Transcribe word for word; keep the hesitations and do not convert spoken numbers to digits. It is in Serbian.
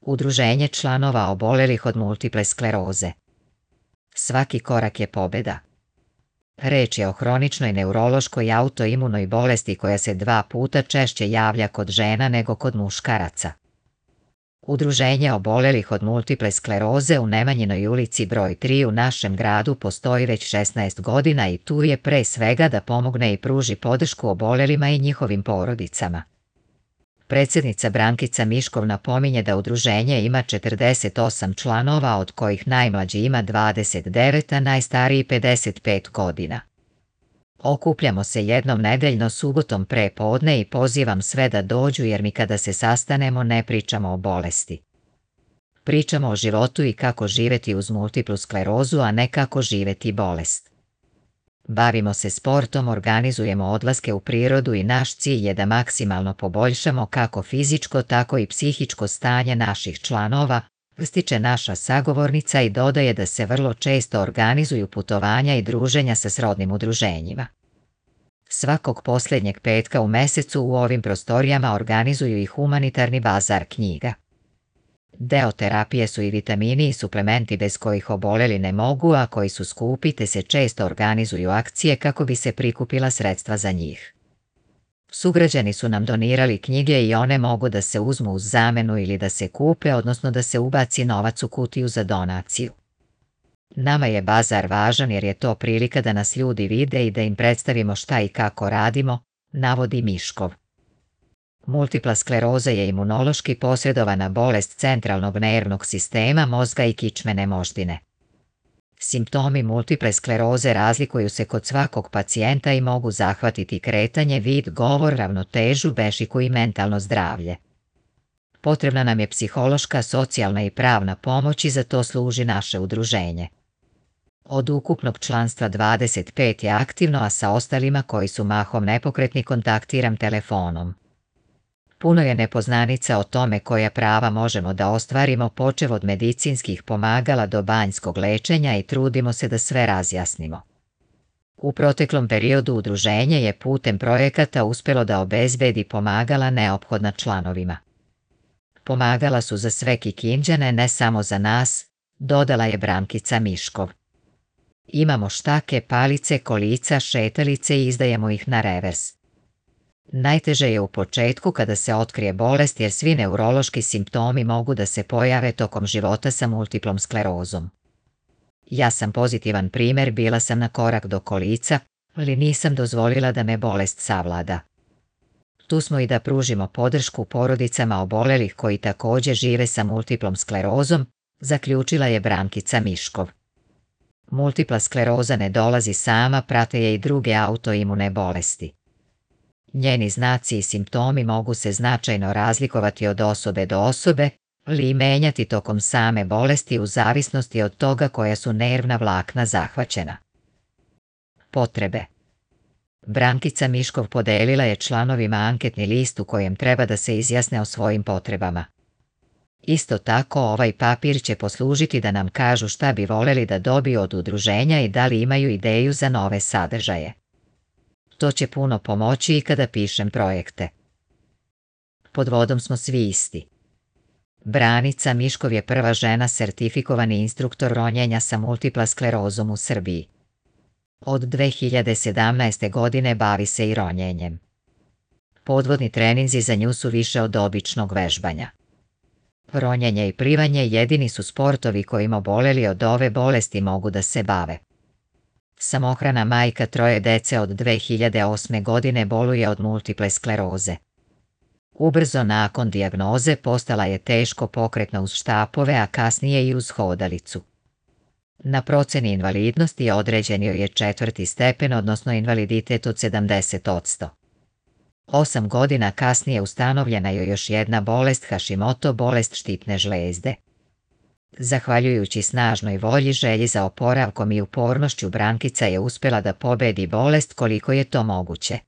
Udruženje članova obolelih od multiple skleroze. Svaki korak je pobjeda. Reč je o hroničnoj neurološkoj autoimunoj bolesti koja se dva puta češće javlja kod žena nego kod muškaraca. Udruženje obolelih od multiple skleroze u Nemanjinoj ulici broj tri u našem gradu postoji već šesnaest godina i tu je pre svega da pomogne i pruži podršku obolelima i njihovim porodicama. Predsjednica Brankica Miškov napominje da udruženje ima četrdeset osam članova, od kojih najmlađi ima dvadeset devet, a najstariji pedeset pet godina. Okupljamo se jednom nedeljno subotom pre podne i pozivam sve da dođu jer mi kada se sastanemo ne pričamo o bolesti. Pričamo o životu i kako živjeti uz multiplu sklerozu, a ne kako živjeti bolest. Bavimo se sportom, organizujemo odlaske u prirodu i naš cilj je da maksimalno poboljšamo kako fizičko tako i psihičko stanje naših članova, ističe naša sagovornica i dodaje da se vrlo često organizuju putovanja i druženja sa srodnim udruženjima. Svakog posljednjeg petka u mesecu u ovim prostorijama organizuju i humanitarni bazar knjiga. Deo terapije su i vitamini i suplementi bez kojih oboleli ne mogu, a koji su skupi, te se često organizuju akcije kako bi se prikupila sredstva za njih. Sugrađani su nam donirali knjige i one mogu da se uzmu uz zamenu ili da se kupe, odnosno da se ubaci novac u kutiju za donaciju. Nama je bazar važan jer je to prilika da nas ljudi vide i da im predstavimo šta i kako radimo, navodi Miškov. Multipla skleroza je imunološki posredovana bolest centralnog nervnog sistema, mozga i kičmene moždine. Simptomi multiple skleroze razlikuju se kod svakog pacijenta i mogu zahvatiti kretanje, vid, govor, ravnotežu, bešiku i mentalno zdravlje. Potrebna nam je psihološka, socijalna i pravna pomoć i za to služi naše udruženje. Od ukupnog članstva dvadeset pet je aktivno, a sa ostalima koji su mahom nepokretni kontaktiram telefonom. Puno je nepoznanica o tome koja prava možemo da ostvarimo, počev od medicinskih pomagala do banjskog lečenja, i trudimo se da sve razjasnimo. U proteklom periodu udruženje je putem projekata uspjelo da obezbedi pomagala neophodna članovima. Pomagala su za sve Kikindžane, ne samo za nas, dodala je Brankica Miškov. Imamo štake, palice, kolica, šetalice i izdajemo ih na revers. Najteže je u početku kada se otkrije bolest jer svi neurološki simptomi mogu da se pojave tokom života sa multiplom sklerozom. Ja sam pozitivan primjer, bila sam na korak do kolica, ali nisam dozvolila da me bolest savlada. Tu smo i da pružimo podršku porodicama obolelih koji također žive sa multiplom sklerozom, zaključila je Brankica Miškov. Multipla skleroza ne dolazi sama, prate je i druge autoimune bolesti. Njeni znaci i simptomi mogu se značajno razlikovati od osobe do osobe, ali i menjati tokom same bolesti u zavisnosti od toga koja su nervna vlakna zahvaćena. Potrebe. Brankica Miškov podelila je članovima anketni list u kojem treba da se izjasne o svojim potrebama. Isto tako ovaj papir će poslužiti da nam kažu šta bi voleli da dobiju od udruženja i da li imaju ideju za nove sadržaje. To će puno pomoći i kada pišem projekte. Pod vodom smo svi isti. Branica Miškov je prva žena sertifikovani instruktor ronjenja sa multipla sklerozom u Srbiji. Od dve hiljade sedamnaeste. godine bavi se i ronjenjem. Podvodni treninzi za nju su više od običnog vežbanja. Ronjenje i plivanje jedini su sportovi kojima oboleli od ove bolesti mogu da se bave. Samohrana majka troje dece od dve hiljade osme. godine boluje od multiple skleroze. Ubrzo nakon dijagnoze postala je teško pokretna uz štapove, a kasnije i uz hodalicu. Na proceni invalidnosti određen joj je četvrti stepen, odnosno invaliditet od sedamdeset posto. Osam godina kasnije ustanovljena je još jedna bolest, Hashimoto, bolest štitne žlezde. Zahvaljujući snažnoj volji, želji za oporavkom i upornošću, Brankica je uspjela da pobedi bolest koliko je to moguće.